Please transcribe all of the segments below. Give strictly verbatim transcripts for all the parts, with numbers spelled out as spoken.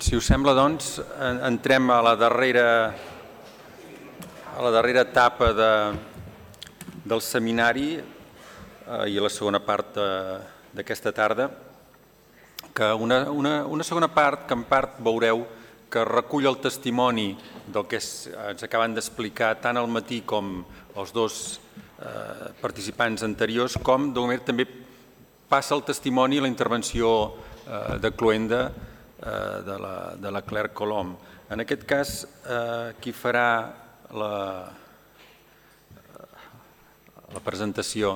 Si us sembla, doncs, entrem a la darrera, a la darrera etapa de, del seminari eh, i a la segona part d'aquesta tarda, que una, una, una segona part que en part veureu que recull el testimoni del que es, ens acaben d'explicar tant al matí com els dos eh, participants anteriors, com d'alguna manera també passa el testimoni i la intervenció eh, de Cloenda eh, de, la, de la Claire Colom. En aquest cas, eh, qui farà la, la presentació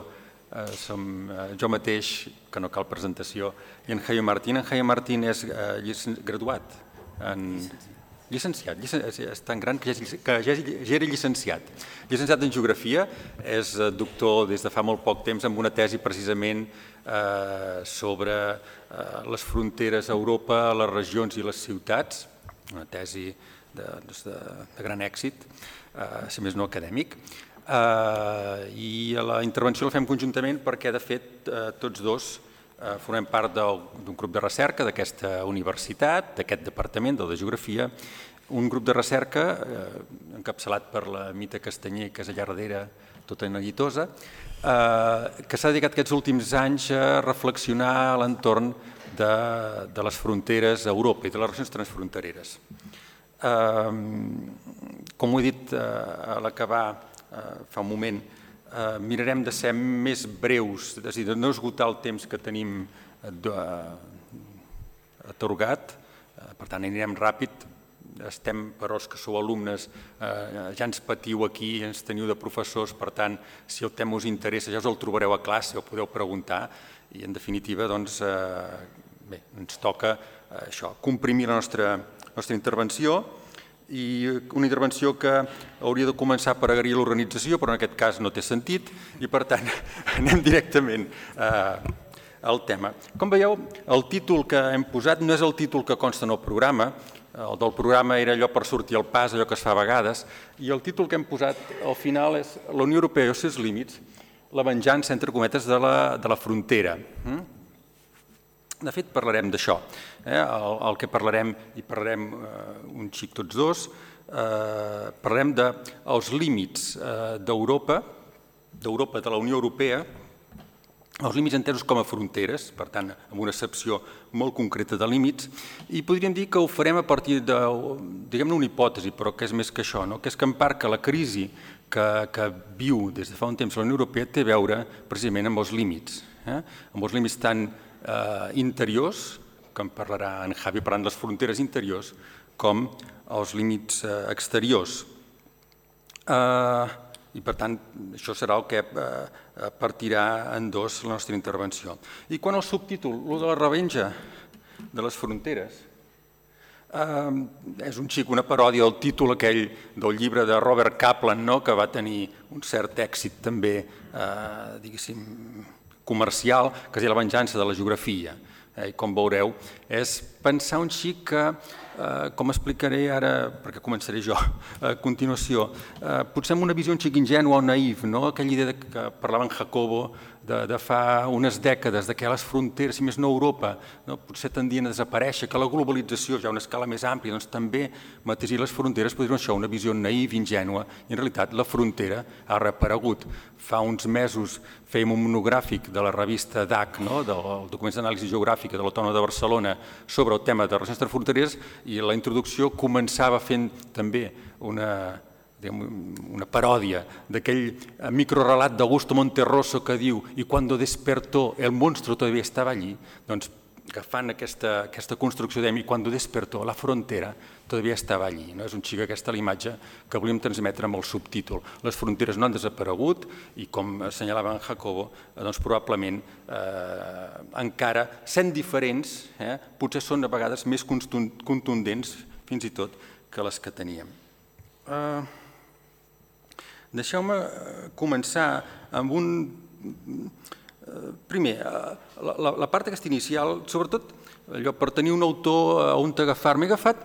eh, som eh, jo mateix, que no cal presentació, i en Jaime Martín. En Jaime Martín és eh, graduat, en, llicenciat, és tan gran que ja, que ja, ja era llicenciat. Llicenciat en Geografia, és doctor des de fa molt poc temps amb una tesi precisament eh, sobre eh, les fronteres a Europa, les regions i les ciutats, una tesi de, de, de gran èxit, eh, si més no acadèmic. Uh, i la intervenció la fem conjuntament perquè de fet uh, tots dos uh, formem part d'un grup de recerca d'aquesta universitat, d'aquest departament de Geografia, un grup de recerca uh, encapçalat per la Mita Castanyer, que és allà darrere tota neguitosa, uh, que s'ha dedicat aquests últims anys a reflexionar a l'entorn de, de les fronteres a Europa i de les regions transfrontereres. Uh, com ho he dit uh, a l'acabar fa un moment, eh, mirarem de ser més breus, és a dir, de no esgotar el temps que tenim atorgat, eh, per tant anirem ràpid, estem, però els que sou alumnes, eh, ja ens patiu aquí, ens teniu de professors, per tant, si el tema us interessa, ja us el trobareu a classe, ho podeu preguntar, i en definitiva, doncs, eh, bé, ens toca eh, això, comprimir la nostra, nostra intervenció, i una intervenció que hauria de començar per agrair l'organització, però en aquest cas no té sentit, i per tant anem directament eh, al tema. Com veieu, el títol que hem posat no és el títol que consta en el programa, el del programa era allò per sortir al pas, allò que es fa a vegades, i el títol que hem posat al final és La Unió Europea i els seus límits, la venjança, entre cometes, de la, de la frontera. De fet, parlarem d'això. Eh? El, el que parlarem, i parlarem eh, un xic tots dos, eh, parlarem dels límits eh, d'Europa, d'Europa, de la Unió Europea, els límits entesos com a fronteres, per tant, amb una excepció molt concreta de límits, i podríem dir que ho farem a partir de, diguem-ne, una hipòtesi, però que és més que això, no? Que és que en part que la crisi que, que viu des de fa un temps la Unió Europea té a veure precisament amb els límits, eh? Amb els límits tan Eh, interiors, que en parlarà en Javi parlant de les fronteres interiors, com els límits eh, exteriors. Eh, I per tant, això serà el que eh, partirà en dos la nostra intervenció. I quan el subtítol, el de la revenja de les fronteres, eh, és un xic, una paròdia del títol aquell del llibre de Robert Kaplan, no?, que va tenir un cert èxit també, eh, diguéssim, comercial, que es diu La venjança de la geografia. Eh, I com veureu, és pensar un xic que, eh, com explicaré ara, perquè començaré jo a continuació, eh, potser amb una visió un xic ingènua o naïf, no? Aquella idea que parlava en Jacobo de, de fa unes dècades, de que les fronteres, si més no Europa, no? Potser tendien a desaparèixer, que la globalització ja a una escala més àmplia, doncs també mateixir les fronteres, podria ser això, una visió naïf, ingènua, i en realitat la frontera ha reaparegut. Fa uns mesos fèiem un monogràfic de la revista D A C, no? Del Documents d'Anàlisi Geogràfica de l'Autònoma de Barcelona, sobre el tema de regions transfrontereres, i la introducció començava fent també una, una paròdia d'aquell microrelat d'Augusto Monterroso que diu «Y cuando despertó el monstruo todavía estaba allí», doncs agafant aquesta, aquesta construcció de «Y cuando despertó la frontera todavía estava allí». No? És un xic aquesta la imatge que volíem transmetre amb el subtítol. Les fronteres no han desaparegut i, com assenyalava en Jacobo, doncs probablement eh, encara, sent diferents, eh, potser són a vegades més contundents fins i tot que les que teníem. Eh, Deixeu-me començar amb un... Primer, la, la, la part aquesta inicial, sobretot allò per tenir un autor on t'agafar. M'he agafat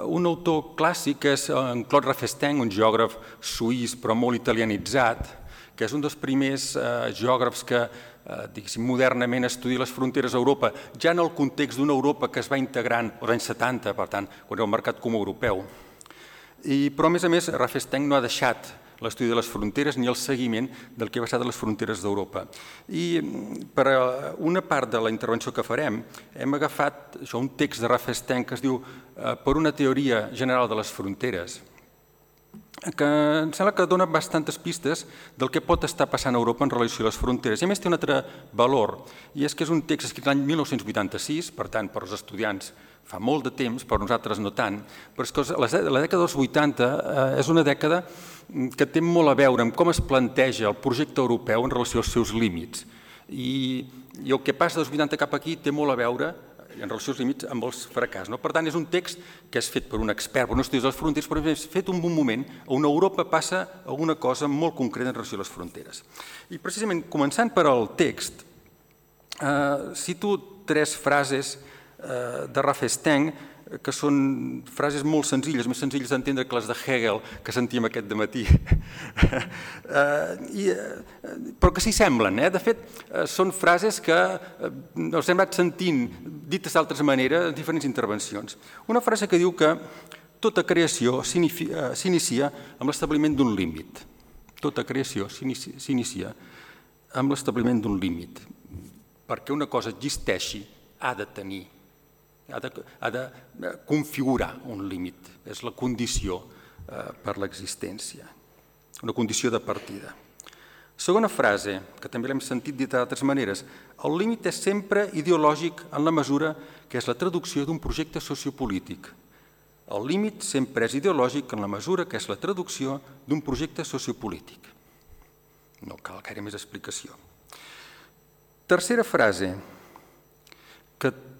un autor clàssic, que és en Claude Raffesteng, un geògraf suís però molt italianitzat, que és un dels primers geògrafs que diguéssim, modernament estudia les fronteres d'Europa, ja en el context d'una Europa que es va integrant als anys setanta, per tant, quan era el mercat comú europeu. Però, a més a més, Raffelstein no ha deixat l'estudi de les fronteres ni el seguiment del que ha passat a les fronteres d'Europa. I per una part de la intervenció que farem hem agafat un text de Raffelstein que es diu Per una teoria general de les fronteres, que em sembla que dona bastantes pistes del que pot estar passant a Europa en relació a les fronteres. I a més té un altre valor, i és que és un text escrit l'any mil nou-cents vuitanta-sis, per tant, per als estudiants fa molt de temps, per nosaltres no tant, però és que la dècada dels vuitanta és una dècada que té molt a veure amb com es planteja el projecte europeu en relació als seus límits. I el que passa dels vuitanta cap aquí té molt a veure en relació als límits amb els fracàs. Per tant, és un text que és fet per un expert, per un estudi de les fronteres, però és fet en un moment on Europa passa alguna cosa molt concreta en relació a les fronteres. I precisament, començant per al text, cito tres frases de Raffelstein, que són frases molt senzilles, més senzilles d'entendre que les de Hegel que sentíem aquest dematí, però que s'hi semblen. De fet, són frases que els hem anat sentint dites d'altres maneres en diferents intervencions. Una frase que diu que tota creació s'inicia amb l'establiment d'un límit. Tota creació s'inicia amb l'establiment d'un límit. Perquè una cosa existeixi ha de tenir ha de configurar un límit. És la condició per l'existència, una condició de partida. Segona frase, que també l'hem sentit dit d'altres maneres, el límit és sempre ideològic en la mesura que és la traducció d'un projecte sociopolític. El límit sempre és ideològic en la mesura que és la traducció d'un projecte sociopolític. No cal gaire més explicació. Tercera frase, que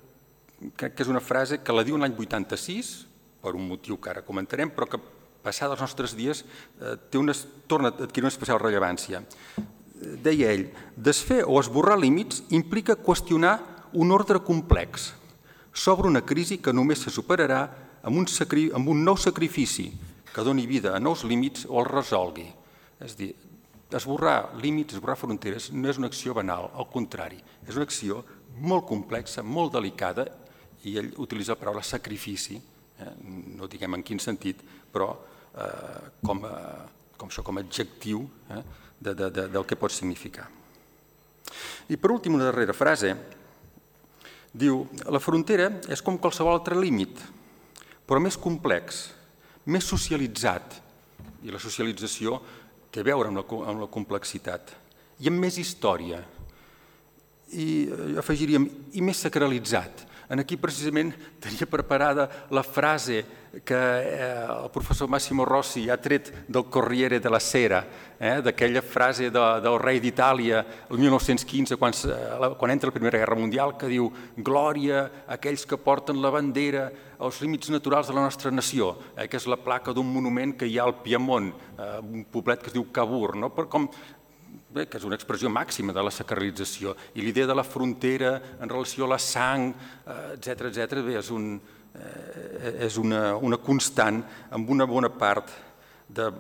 crec que és una frase que la diu l'any vuitanta-sis, per un motiu que ara comentarem, però que passada els nostres dies torna a adquirir una especial rellevància. Deia ell, desfer o esborrar límits implica qüestionar un ordre complex sobre una crisi que només se superarà amb un nou sacrifici que doni vida a nous límits o els resolgui. És a dir, esborrar límits, esborrar fronteres no és una acció banal, al contrari, és una acció molt complexa, molt delicada, i ell utilitza la paraula sacrifici, no diguem en quin sentit, però com a adjectiu del que pot significar. I per últim, una darrera frase, diu, la frontera és com qualsevol altre límit, però més complex, més socialitzat, i la socialització té a veure amb la complexitat, i amb més història, i afegiríem, i més sacralitzat. Aquí precisament tenia preparada la frase que el professor Massimo Rossi ha tret del Corriere della Sera, d'aquella frase del rei d'Itàlia el mil nou-cents quinze, quan entra la Primera Guerra Mundial, que diu «Glòria a aquells que porten la bandera als límits naturals de la nostra nació», que és la placa d'un monument que hi ha al Piemont, un poblet que es diu Cavour, que és una expressió màxima de la sacralització, i l'idea de la frontera en relació a la sang, etcètera, és una constant amb una bona part,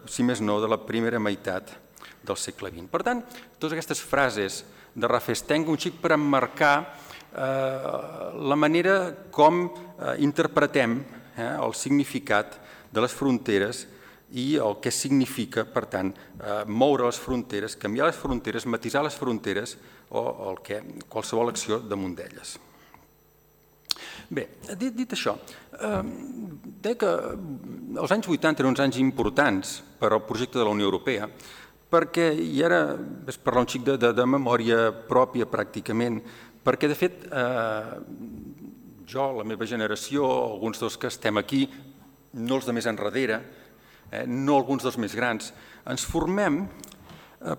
si més no, de la primera meitat del segle vint. Per tant, totes aquestes frases de Raffelstein, un xic per emmarcar la manera com interpretem el significat de les fronteres i el que significa, per tant, moure les fronteres, canviar les fronteres, matisar les fronteres o qualsevol acció damunt d'elles. Bé, dit això, deia que els anys vuitanta eren uns anys importants per al projecte de la Unió Europea, perquè, i ara vaig parlar un xic de memòria pròpia pràcticament, perquè de fet jo, la meva generació, alguns dels que estem aquí, no els de més enrere, no alguns dels més grans, ens formem,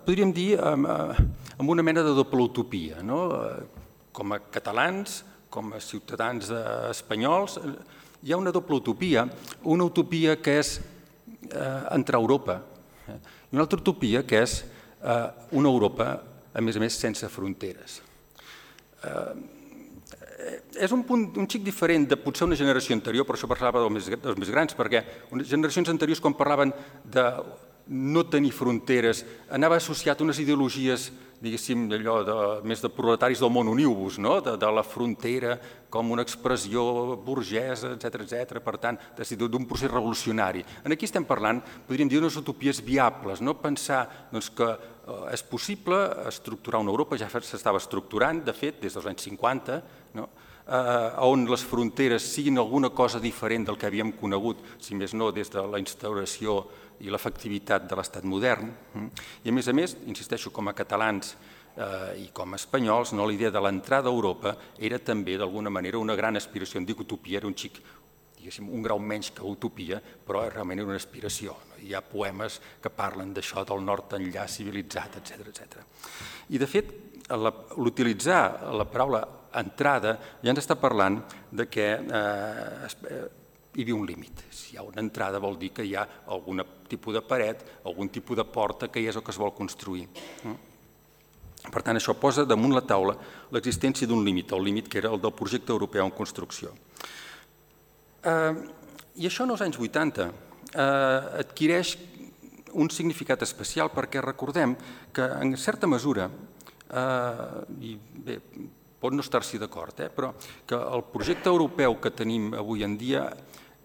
podríem dir, amb una mena de doble utopia. Com a catalans, com a ciutadans espanyols, hi ha una doble utopia, una utopia que és entrar a Europa i una altra utopia que és una Europa, a més a més, sense fronteres. És un punt un xic diferent de potser una generació anterior, per això parlava dels més grans, perquè generacions anteriors, quan parlaven de no tenir fronteres, anava associat a unes ideologies, diguéssim, allò més de proletaris del món uniu-vos, de la frontera com una expressió burgesa, etcètera, etcètera, per tant, d'un procés revolucionari. Aquí estem parlant, podríem dir, d'unes utopies viables, no pensar que és possible estructurar una Europa, ja s'estava estructurant, de fet, des dels anys cinquanta, on les fronteres siguin alguna cosa diferent del que havíem conegut, si més no, des de la instauració i l'efectivitat de l'estat modern. I a més a més, insisteixo, com a catalans i com a espanyols, la idea de l'entrada a Europa era també, d'alguna manera, una gran aspiració. Em dic utopia, era un xic, diguéssim, un grau menys que utopia, però realment era una aspiració. Hi ha poemes que parlen d'això, del nord enllà civilitzat, etcètera, etcètera. I, de fet, l'utilitzar la paraula entrada ja ens està parlant de que hi havia un límit. Si hi ha una entrada vol dir que hi ha algun tipus de paret, algun tipus de porta que hi és el que es vol construir. Per tant, això posa damunt la taula l'existència d'un límit, el límit que era el del projecte europeu en construcció. I això en els anys vuitanta adquireix un significat especial perquè recordem que en certa mesura, i bé, pot no estar-s'hi d'acord, però que el projecte europeu que tenim avui en dia,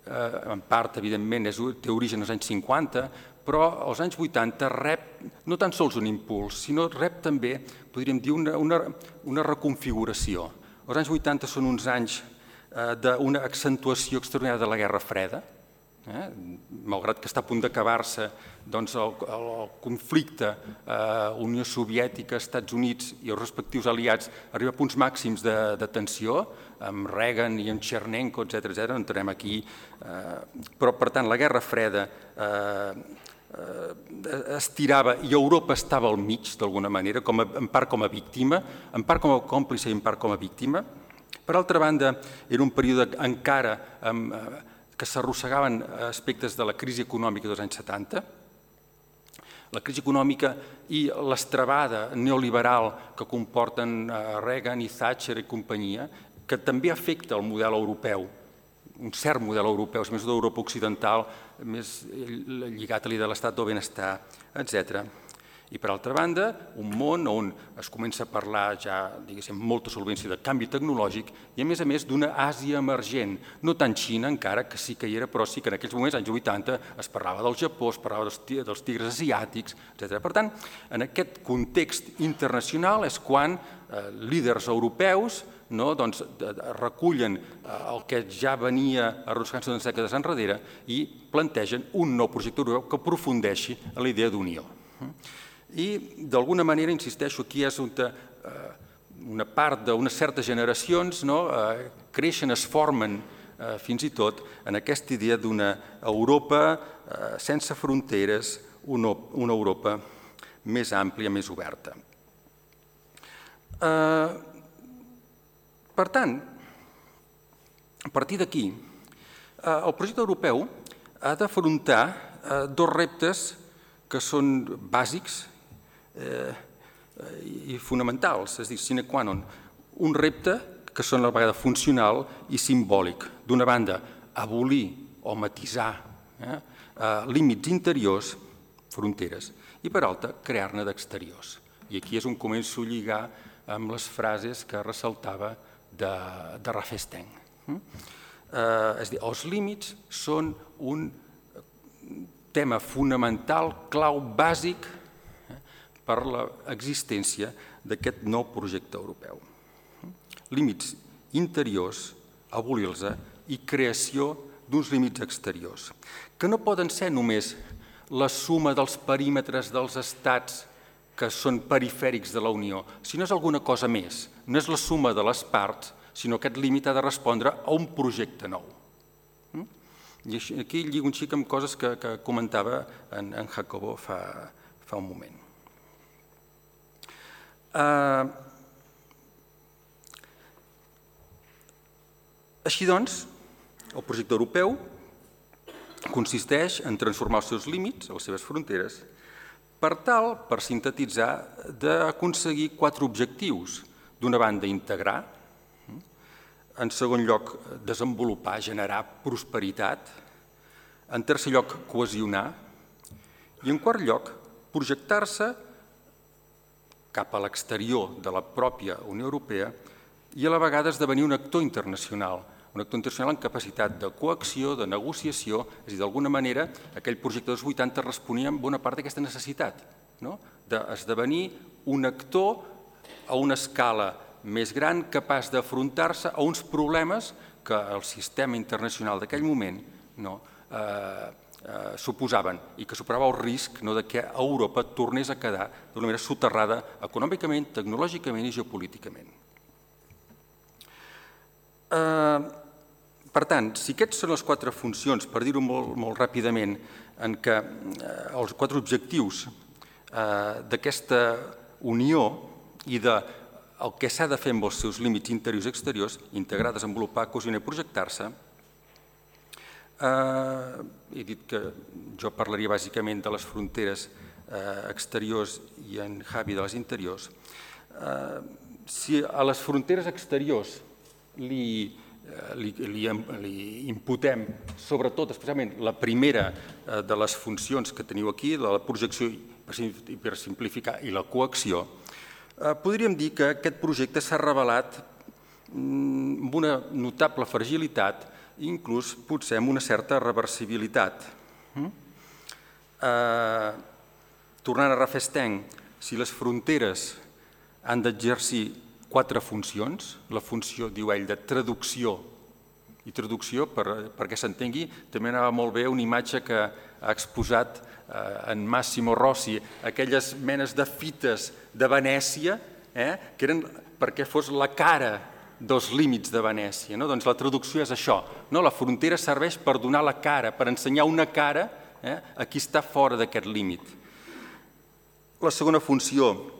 en part, evidentment, té origen als anys cinquanta, però als anys vuitanta rep no tan sols un impuls, sinó rep també, podríem dir, una reconfiguració. Els anys vuitanta són uns anys d'una accentuació extraordinària de la Guerra Freda, malgrat que està a punt d'acabar-se el conflicte Unió Soviètica, Estats Units i els respectius aliats arriba a punts màxims de tensió, amb Reagan i amb Chernenko, etcètera, no entrarem aquí, però per tant la Guerra Freda estirava i Europa estava al mig d'alguna manera, en part com a víctima, en part com a còmplice i en part com a víctima. Per altra banda, era un període encara que s'arrossegaven aspectes de la crisi econòmica dels anys setanta, la crisi econòmica i l'estrabada neoliberal que comporten Reagan i Thatcher i companyia, que també afecta el model europeu, un cert model europeu, més d'Europa occidental, més lligat a l'idea de l'estat del benestar, etcètera. I, per altra banda, un món on es comença a parlar ja, diguéssim, amb molta solvència de canvi tecnològic i, a més a més, d'una Àsia emergent, no tant Xina, encara que sí que hi era, però sí que en aquells moments, anys vuitanta, es parlava del Japó, es parlava dels tigres asiàtics, etcètera. Per tant, en aquest context internacional és quan líders europeus recullen el que ja venia arrossegant-se unes dècades enrere i plantegen un nou projecte europeu que aprofundeixi en la idea d'unió. I, d'alguna manera, insisteixo, aquí és una part d'unes certes generacions creixen, es formen fins i tot en aquesta idea d'una Europa sense fronteres, una Europa més àmplia, més oberta. Per tant, a partir d'aquí, el projecte europeu ha d'afrontar dos reptes que són bàsics i fonamentals, és a dir, sine qua non. Un repte que són a la vegada funcional i simbòlic. D'una banda, abolir o matisar límits interiors, fronteres, i per altra, crear-ne d'exteriors. I aquí és on començo a lligar amb les frases que ressaltava de Rafesteng. És a dir, els límits són un tema fonamental, clau, bàsic per l'existència d'aquest nou projecte europeu. Límits interiors, abolir-los, i creació d'uns límits exteriors, que no poden ser només la suma dels perímetres dels estats que són perifèrics de la Unió, sinó és alguna cosa més. No és la suma de les parts, sinó que aquest límit ha de respondre a un projecte nou. I aquí lligo un xic amb coses que comentava en Jacobo fa un moment. Així doncs, el projecte europeu consisteix en transformar els seus límits, les seves fronteres, per tal, per sintetitzar, d'aconseguir quatre objectius. D'una banda, integrar, en segon lloc, desenvolupar, generar prosperitat, en tercer lloc, cohesionar, I en quart lloc, projectar-se cap a l'exterior de la pròpia Unió Europea i a la vegada esdevenir un actor internacional, un actor internacional amb capacitat de coacció, de negociació, és a dir, d'alguna manera aquell projecte dels vuitanta responia en bona part d'aquesta necessitat, d'esdevenir un actor a una escala més gran capaç d'afrontar-se a uns problemes que el sistema internacional d'aquell moment suposaven i que superava el risc que Europa tornés a quedar d'una manera soterrada econòmicament, tecnològicament i geopolíticament. Per tant, si aquests són les quatre funcions, per dir-ho molt ràpidament, en què els quatre objectius d'aquesta unió i del que s'ha de fer amb els seus límits interiors i exteriors, integrar, desenvolupar, cohesionar i projectar-se, he dit que jo parlaria bàsicament de les fronteres exteriors i en Javi de les interiors. Si a les fronteres exteriors li imputem sobretot, especialment la primera de les funcions que teniu aquí, la projecció per simplificar i la coacció, podríem dir que aquest projecte s'ha revelat amb una notable fragilitat i inclús potser amb una certa reversibilitat. Tornant a Rafestany, si les fronteres han d'exercir quatre funcions, la funció, diu ell, de traducció, i traducció, perquè s'entengui, també anava molt bé una imatge que ha exposat en Massimo Rossi, aquelles menes de fites de Venècia, que eren perquè fos la cara dels límits de Venècia. Doncs la traducció és això. La frontera serveix per donar la cara, per ensenyar una cara a qui està fora d'aquest límit. La segona funció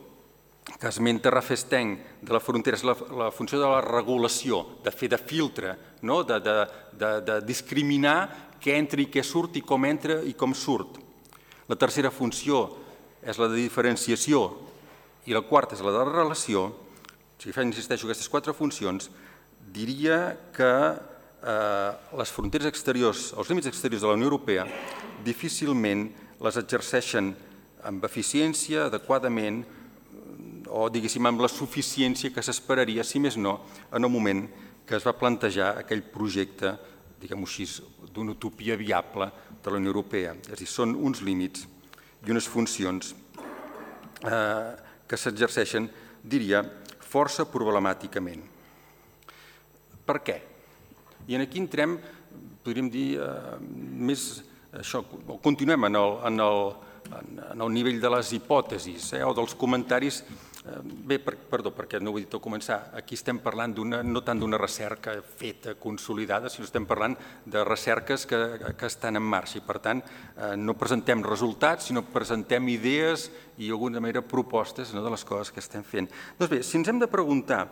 que esmenta Rafestany de la frontera és la funció de la regulació, de fer de filtre, de discriminar què entra i què surt i com entra i com surt. La tercera funció és la de diferenciació i la quarta és la de la relació. Si insisteixo en aquestes quatre funcions, diria que les fronteres exteriors, els límits exteriors de la Unió Europea, difícilment les exerceixen amb eficiència, adequadament, o diguéssim amb la suficiència que s'esperaria, si més no, en el moment que es va plantejar aquell projecte, diguem-ho així, d'una utopia viable de la Unió Europea. És a dir, són uns límits i unes funcions que s'exerceixen, diria, força problemàticament. Per què? I aquí entrem, podríem dir, més això, continuem en el nivell de les hipòtesis o dels comentaris. Bé, perdó, perquè no ho he dit al començar, aquí estem parlant no tant d'una recerca feta, consolidada, sinó estem parlant de recerques que estan en marxa i, per tant, no presentem resultats, sinó presentem idees i, d'alguna manera, propostes de les coses que estem fent. Doncs bé, si ens hem de preguntar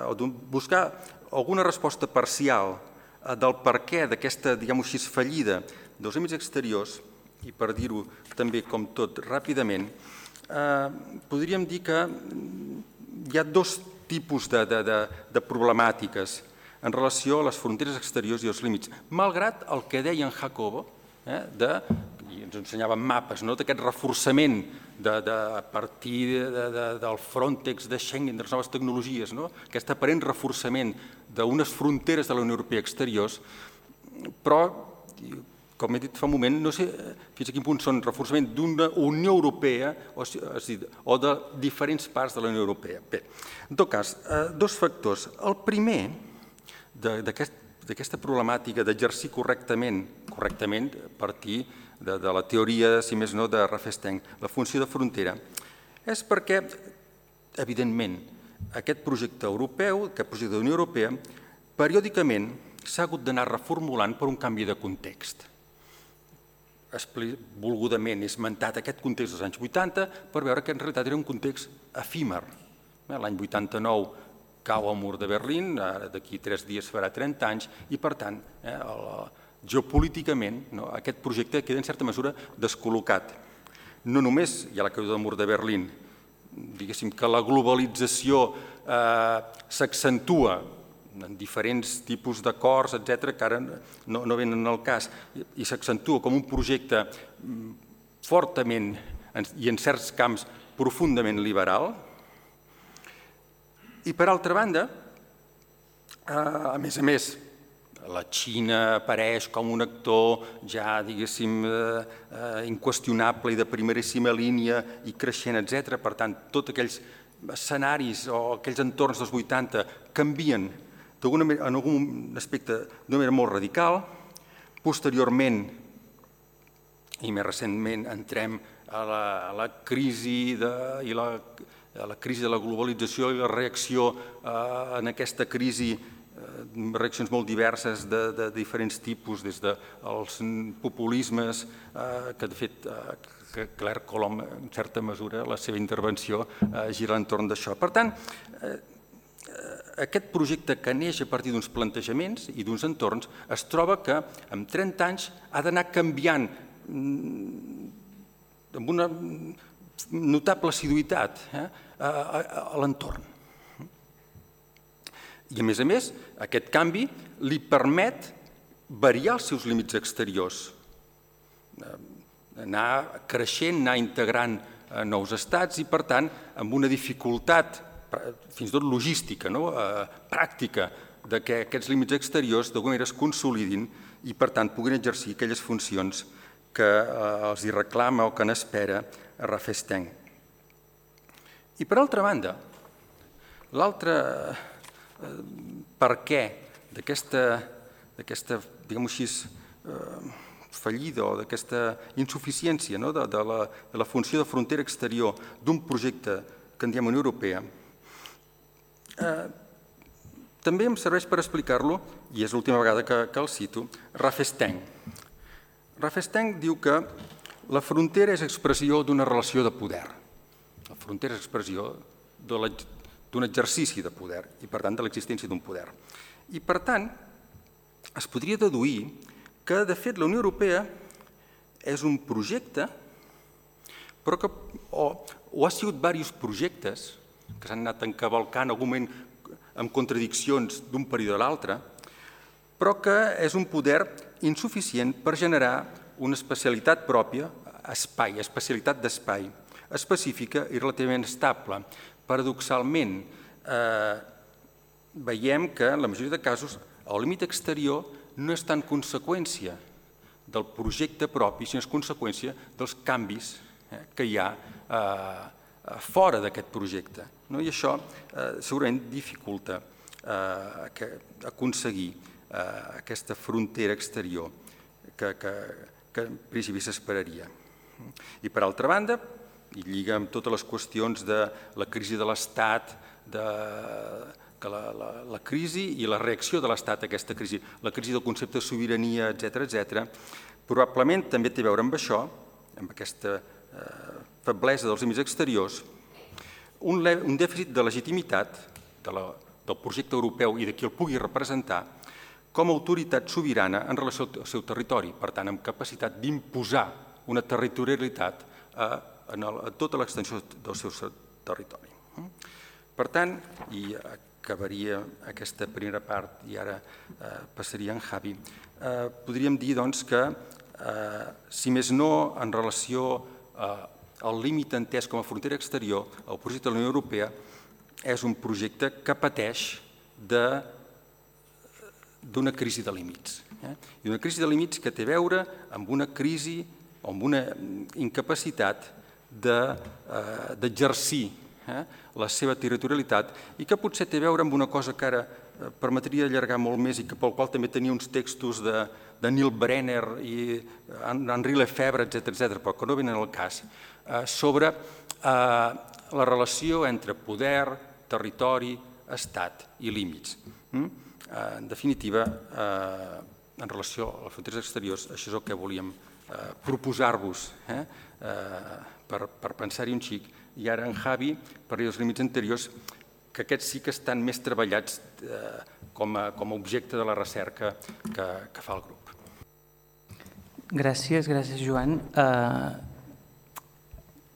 o buscar alguna resposta parcial del perquè d'aquesta, diguem-ho així, fallida dels límits exteriors, i per dir-ho també com tot ràpidament, podríem dir que hi ha dos tipus de problemàtiques en relació a les fronteres exteriors i els límits, malgrat el que deia en Jacobo, i ens ensenyaven mapes, d'aquest reforçament a partir del Frontex, de Schengen, de les noves tecnologies, aquest aparent reforçament d'unes fronteres de la Unió Europea exteriors, però, com he dit fa un moment, no sé fins a quin punt són reforçament d'una Unió Europea o de diferents parts de la Unió Europea. Bé, en tot cas, dos factors. El primer d'aquesta problemàtica d'exercir correctament, correctament a partir de la teoria, si més no, de Rafestany, la funció de frontera, és perquè, evidentment, aquest projecte europeu, aquest projecte de la Unió Europea, periòdicament s'ha hagut d'anar reformulant per un canvi de context. Volgudament he esmentat aquest context dels anys vuitanta per veure que en realitat era un context efímer. L'any vuitanta-nou cau el mur de Berlín, d'aquí tres dies farà trenta anys, i per tant, geopolíticament, aquest projecte queda en certa mesura descol·locat. No només hi ha la caiguda del mur de Berlín, diguéssim que la globalització s'accentua en diferents tipus d'acords, etcètera, que ara no venen al cas, i s'accentua com un projecte fortament i en certs camps profundament liberal. I per altra banda, a més a més, la Xina apareix com un actor ja, diguéssim, inqüestionable i de primeríssima línia i creixent, etcètera. Per tant, tots aquells escenaris o aquells entorns dels vuitanta canvien en algun aspecte d'una manera molt radical. Posteriorment, i més recentment, entrem a la crisi i la la crisi de la globalització i la reacció en aquesta crisi, reaccions molt diverses de diferents tipus, des dels populismes, que de fet Claire Colomb, en certa mesura, la seva intervenció gira entorn d'això. Per tant, aquest projecte que neix a partir d'uns plantejaments i d'uns entorns es troba que en trenta anys ha d'anar canviant amb una notable assiduïtat a l'entorn. I a més a més, aquest canvi li permet variar els seus límits exteriors, anar creixent, anar integrant nous estats i, per tant, amb una dificultat, fins i tot logística, pràctica, que aquests límits exteriors d'alguna manera es consolidin i, per tant, puguin exercir aquelles funcions que els hi reclama o que n'espera Raffelstein. I per altra banda, l'altre per què d'aquesta, diguem-ho així, fallida o d'aquesta insuficiència de la funció de frontera exterior d'un projecte que en diem Unió Europea, també em serveix per explicar-lo, i és l'última vegada que el cito, Raffelstein. Raffelstein diu que la frontera és expressió d'una relació de poder. La frontera és expressió d'un exercici de poder i, per tant, de l'existència d'un poder. I, per tant, es podria deduir que, de fet, la Unió Europea és un projecte, però que o ha sigut diversos projectes que s'han anat encavalcant en algun moment amb contradiccions d'un període a l'altre, però que és un poder insuficient per generar una especialitat pròpia, espai, especialitat d'espai, específica i relativament estable. Paradoxalment, veiem que en la majoria de casos el límit exterior no és tant conseqüència del projecte propi, sinó és conseqüència dels canvis que hi ha fora d'aquest projecte. I això segurament dificulta aconseguir aquesta frontera exterior que en principi s'esperaria. I per altra banda, i lliga amb totes les qüestions de la crisi de l'Estat, la crisi i la reacció de l'Estat a aquesta crisi, la crisi del concepte de sobirania, etcètera, etcètera, probablement també té a veure amb això, amb aquesta feblesa dels límits exteriors, un dèficit de legitimitat del projecte europeu i de qui el pugui representar com a autoritat sobirana en relació al seu territori, per tant, amb capacitat d'imposar una territorialitat a tota l'extensió del seu territori. Per tant, i acabaria aquesta primera part i ara passaria a en Javi, podríem dir que, si més no en relació al límit entès com a frontera exterior, el projecte de la Unió Europea és un projecte que pateix d'una crisi de límits. I una crisi de límits que té a veure amb una crisi o amb una incapacitat d'exercir la seva territorialitat i que potser té a veure amb una cosa que ara permetria allargar molt més i pel qual també tenia uns textos de Neil Brenner i Henri Lefebvre, etcètera, però que no venen al cas, sobre la relació entre poder, territori, estat i límits. En definitiva, en relació a les fronteres exteriors, això és el que volíem proposar-vos per pensar-hi un xic. I ara en Javi parli dels límits anteriors, que aquests sí que estan més treballats com a objecte de la recerca que fa el grup. Gràcies, gràcies Joan.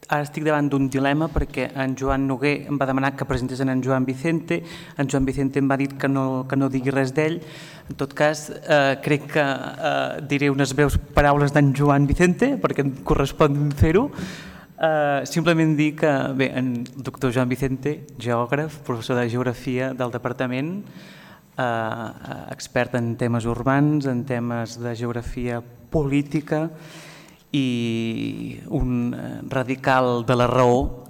ara estic davant d'un dilema perquè en Joan Noguer em va demanar que presentés en Joan Vicente, en Joan Vicente em va dir que no, que no digui res d'ell. En tot cas, eh, crec que eh, diré unes breus paraules d'en Joan Vicente perquè em correspon fer-ho. Eh, simplement dir que, bé, en doctor Joan Vicente, geògraf, professor de geografia del departament, eh, expert en temes urbans, en temes de geografia política, i un radical de la raó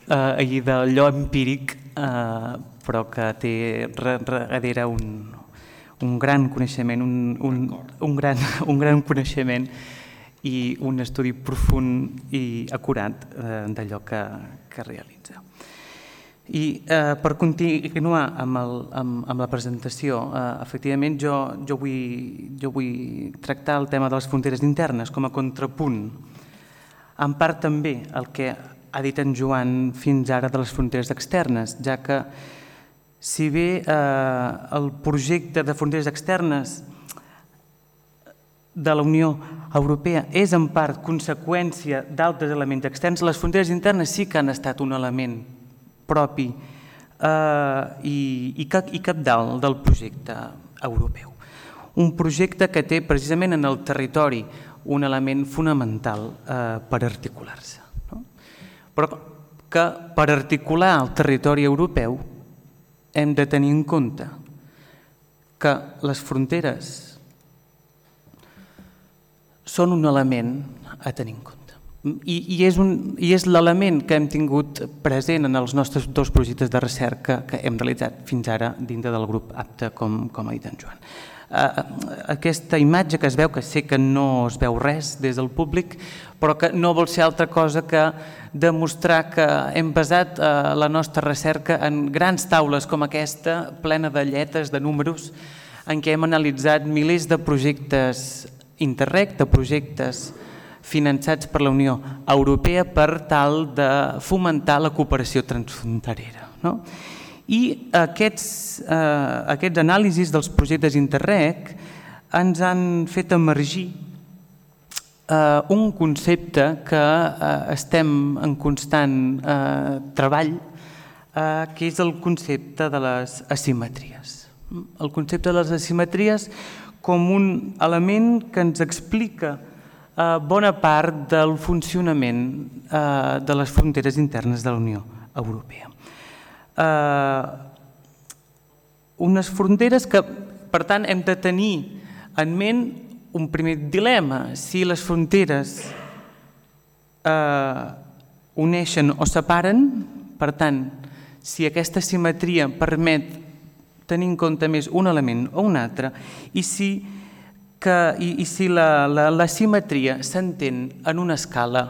eh, i d'allò empíric, eh, però que té darrere un, un gran coneixement, un, un, un, gran, un gran coneixement i un estudi profund i acurat eh, d'allò que, que realitza. I eh, per continuar amb, el, amb, amb la presentació, eh, efectivament jo, jo, vull, jo vull tractar el tema de les fronteres internes com a contrapunt, en part també el que ha dit en Joan fins ara de les fronteres externes, ja que si bé eh, el projecte de fronteres externes de la Unió Europea és en part conseqüència d'altres elements externs, les fronteres internes sí que han estat un element propi eh, i, i, i cabdal del projecte europeu. Un projecte que té precisament en el territori un element fonamental eh, per articular-se. No? Però que per articular el territori europeu hem de tenir en compte que les fronteres són un element a tenir en compte. I, i és, un, i és l'element que hem tingut present en els nostres dos projectes de recerca que hem realitzat fins ara dintre del grup APTA, com, com ha dit en Joan. Uh, aquesta imatge que es veu, que sé que no es veu res des del públic, però que no vol ser altra cosa que demostrar que hem basat uh, la nostra recerca en grans taules com aquesta, plena de lletres, de números, en què hem analitzat milers de projectes Interreg, de projectes finançats per la Unió Europea per tal de fomentar la cooperació transfronterera. No? I aquests, eh, aquests anàlisis dels projectes Interreg ens han fet emergir eh, un concepte que eh, estem en constant eh, treball, eh, que és el concepte de les asimetries. El concepte de les asimetries com un element que ens explica Uh, bona part del funcionament uh, de les fronteres internes de la Unió Europea. Uh, unes fronteres que, per tant, hem de tenir en ment un primer dilema, si les fronteres uh, uneixen o separen, per tant, si aquesta simetria permet tenir en compte més un element o un altre, i si Que, i, i si la, la, la simetria s'entén en una escala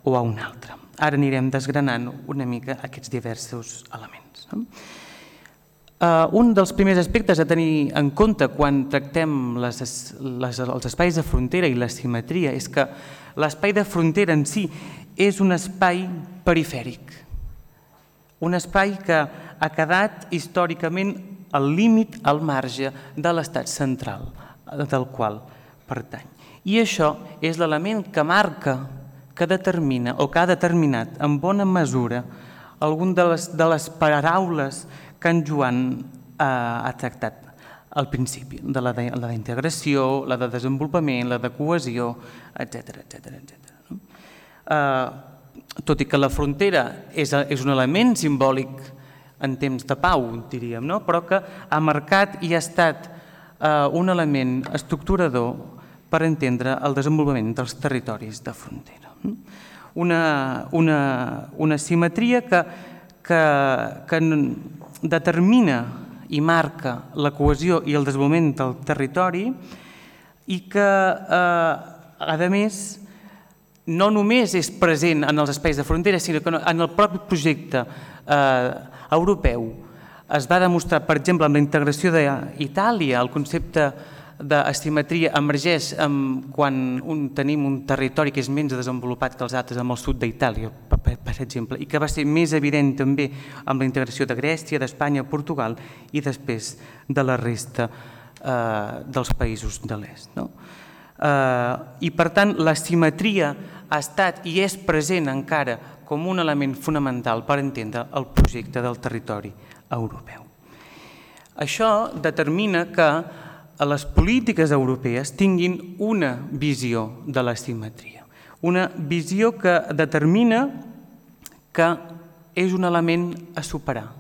o a una altra. Ara anirem desgranant una mica aquests diversos elements. No? Uh, un dels primers aspectes a tenir en compte quan tractem les, les, els espais de frontera i la simetria és que l'espai de frontera en si és un espai perifèric, un espai que ha quedat històricament al límit, al marge de l'estat central del qual pertany. I això és l'element que marca, que determina o que ha determinat en bona mesura alguna de les, de les paraules que en Joan eh, ha tractat al principi, de la de, la d'integració, la de desenvolupament, la de cohesió, etcètera, etcètera, etcètera. No? Eh, tot i que la frontera és, és un element simbòlic en temps de pau, diríem, no? Però que ha marcat i ha estat un element estructurador per entendre el desenvolupament dels territoris de frontera. Una, una, una simetria que, que, que determina i marca la cohesió i el desenvolupament del territori i que, eh, a més, no només és present en els espais de frontera, sinó que en el propi projecte eh, europeu es va demostrar, per exemple, amb la integració d'Itàlia, el concepte d'asimetria emergeix quan un, tenim un territori que és menys desenvolupat que els altres amb el sud d'Itàlia, per, per exemple, i que va ser més evident també amb la integració de Grècia, d'Espanya, Portugal i després de la resta eh, dels països de l'est. No? I per tant l'asimetria ha estat i és present encara com un element fonamental per entendre el projecte del territori europeu. Això determina que les polítiques europees tinguin una visió de l'asimetria, una visió que determina que és un element a superar.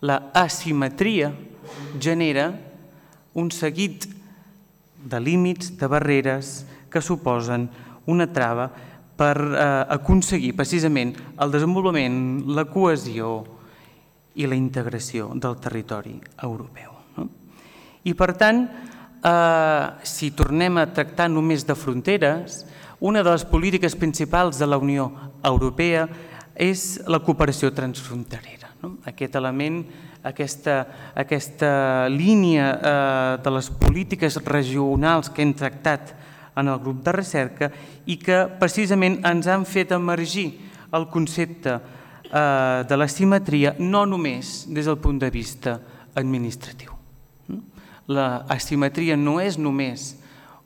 La asimetria genera un seguit de límits, de barreres que suposen una trava per aconseguir precisament el desenvolupament, la cohesió i la integració del territori europeu. I per tant, si tornem a tractar només de fronteres, una de les polítiques principals de la Unió Europea és la cooperació transfronterera. Aquest element, aquesta, aquesta línia de les polítiques regionals que hem tractat en el grup de recerca i que precisament ens han fet emergir el concepte de l'asimetria no només des del punt de vista administratiu. L'asimetria no és només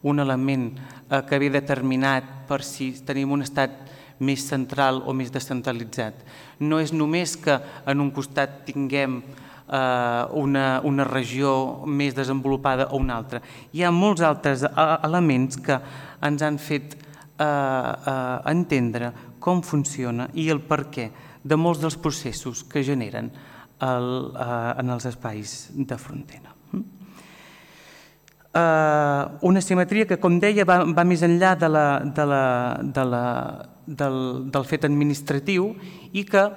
un element que ve determinat per si tenim un estat més central o més descentralitzat. No és només que en un costat tinguem una, una regió més desenvolupada o una altra. Hi ha molts altres elements que ens han fet eh, eh, entendre com funciona i el perquè de molts dels processos que generen el, eh, en els espais de frontera. Eh, una simetria que, com deia, va, va més enllà de la, de la, de la, del, del fet administratiu i que,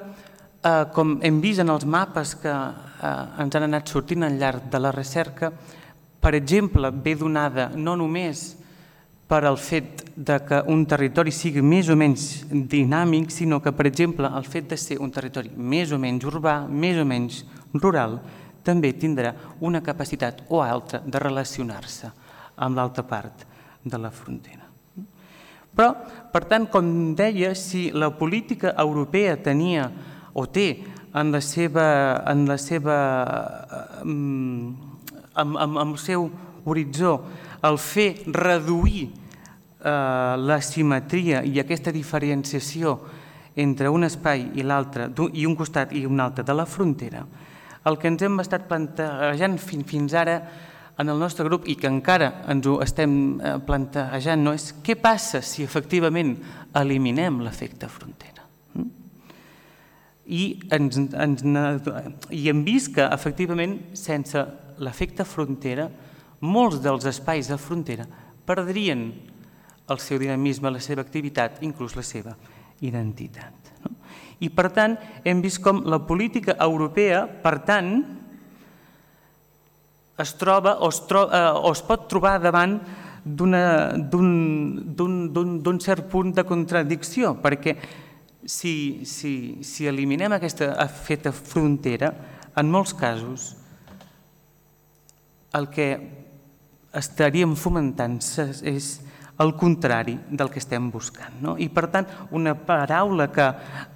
eh, com hem vist en els mapes que eh, ens han anat sortint al llarg de la recerca, per exemple, ve donada no només per al fet de que un territori sigui més o menys dinàmic, sinó que, per exemple, el fet de ser un territori més o menys urbà, més o menys rural, també tindrà una capacitat o altra de relacionar-se amb l'altra part de la frontera. Però, per tant, com deia, si la política europea tenia o té en la seva, en la seva, amb, amb el seu horitzó el fer reduir eh, l'asimetria i aquesta diferenciació entre un espai i l'altre, i un costat i un altre de la frontera, el que ens hem estat plantejant fins ara en el nostre grup i que encara ens ho estem plantejant no és què passa si efectivament eliminem l'efecte frontera. I, ens, ens, i hem vist que efectivament sense l'efecte frontera molts dels espais de frontera perdrien el seu dinamisme, la seva activitat, inclús la seva identitat. I per tant hem vist com la política europea, per tant, es troba o es, tro, eh, o es pot trobar davant d'un cert punt de contradicció, perquè si, si, si eliminem aquesta feta frontera, en molts casos el que estaríem fomentant és el contrari del que estem buscant. No? I per tant, una paraula que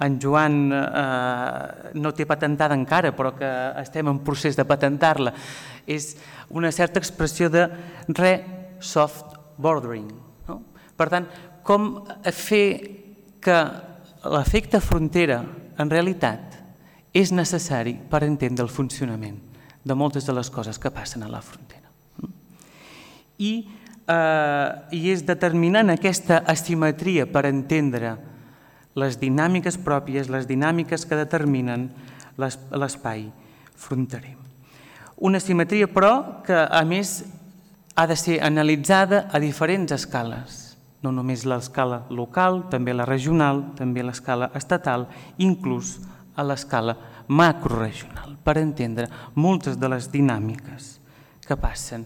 en Joan eh, no té patentada encara, però que estem en procés de patentar-la, és una certa expressió de re-soft bordering. No? Per tant, com fer que l'efecte frontera en realitat és necessari per entendre el funcionament de moltes de les coses que passen a la frontera. I Uh, i és determinant aquesta asimetria per entendre les dinàmiques pròpies, les dinàmiques que determinen l'espai fronterer. Una asimetria, però, que a més ha de ser analitzada a diferents escales, no només l'escala local, també la regional, també l'escala estatal, inclús a l'escala macroregional, per entendre moltes de les dinàmiques que passen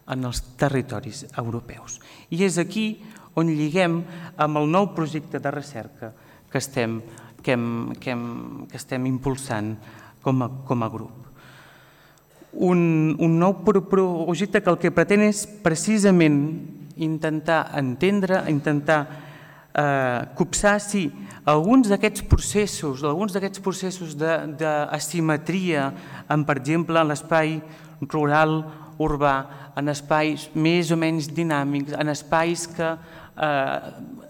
en els territoris europeus. I és aquí on lliguem amb el nou projecte de recerca que estem, que hem, que hem, que estem impulsant com a, com a grup. Un, un nou projecte que el que pretén és precisament intentar entendre, intentar eh, copsar si alguns d'aquests processos, alguns d'aquests processos d'asimetria, en, per exemple, en l'espai rural urbà, en espais més o menys dinàmics, en espais que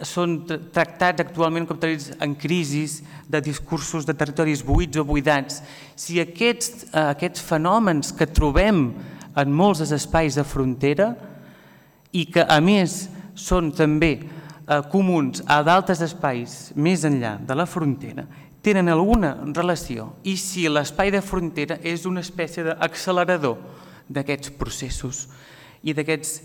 són tractats actualment com territoris en crisi, de discursos de territoris buits o buidats. Si aquests fenòmens que trobem en molts dels espais de frontera i que a més són també comuns a d'altres espais més enllà de la frontera, tenen alguna relació i si l'espai de frontera és una espècie d'accelerador d'aquests processos i d'aquestes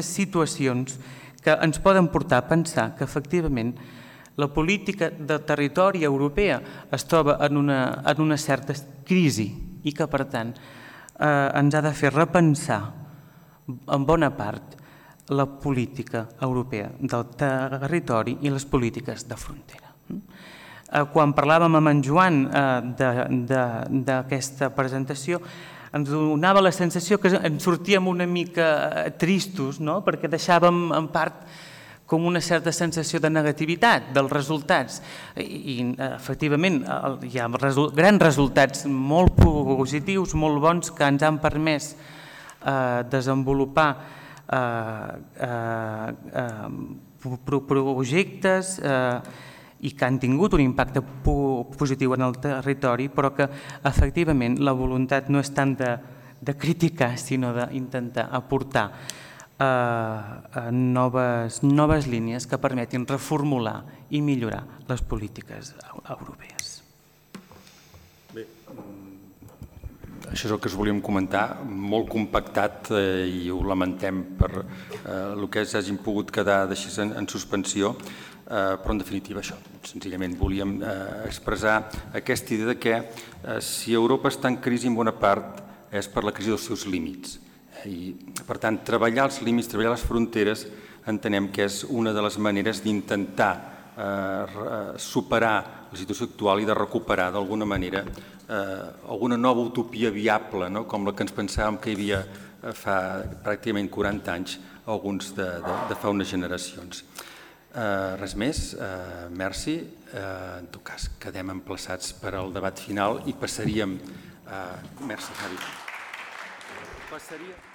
situacions que ens poden portar a pensar que efectivament la política de territori europea es troba en una certa crisi i que per tant ens ha de fer repensar en bona part la política europea del territori i les polítiques de frontera. Quan parlàvem amb en Joan d'aquesta presentació, ens donava la sensació que ens sortíem una mica tristos, perquè deixàvem en part com una certa sensació de negativitat dels resultats. I efectivament hi ha grans resultats molt positius, molt bons, que ens han permès desenvolupar projectes i que han tingut un impacte positiu en el territori, però que efectivament la voluntat no és tant de criticar, sinó d'intentar aportar noves línies que permetin reformular i millorar les polítiques europees. Bé, això és el que us volíem comentar, molt compactat i ho lamentem per el que hagin pogut quedar en suspensió, però en definitiva això, senzillament volíem expressar aquesta idea que si Europa està en crisi en bona part és per la crisi dels seus límits i per tant treballar els límits, treballar les fronteres entenem que és una de les maneres d'intentar superar la situació actual i de recuperar d'alguna manera alguna nova utopia viable com la que ens pensàvem que hi havia fa pràcticament quaranta anys alguns de fa unes generacions. Res més, merci. En tot cas, quedem emplaçats per al debat final i passaríem... Merci, Javi. Passaria...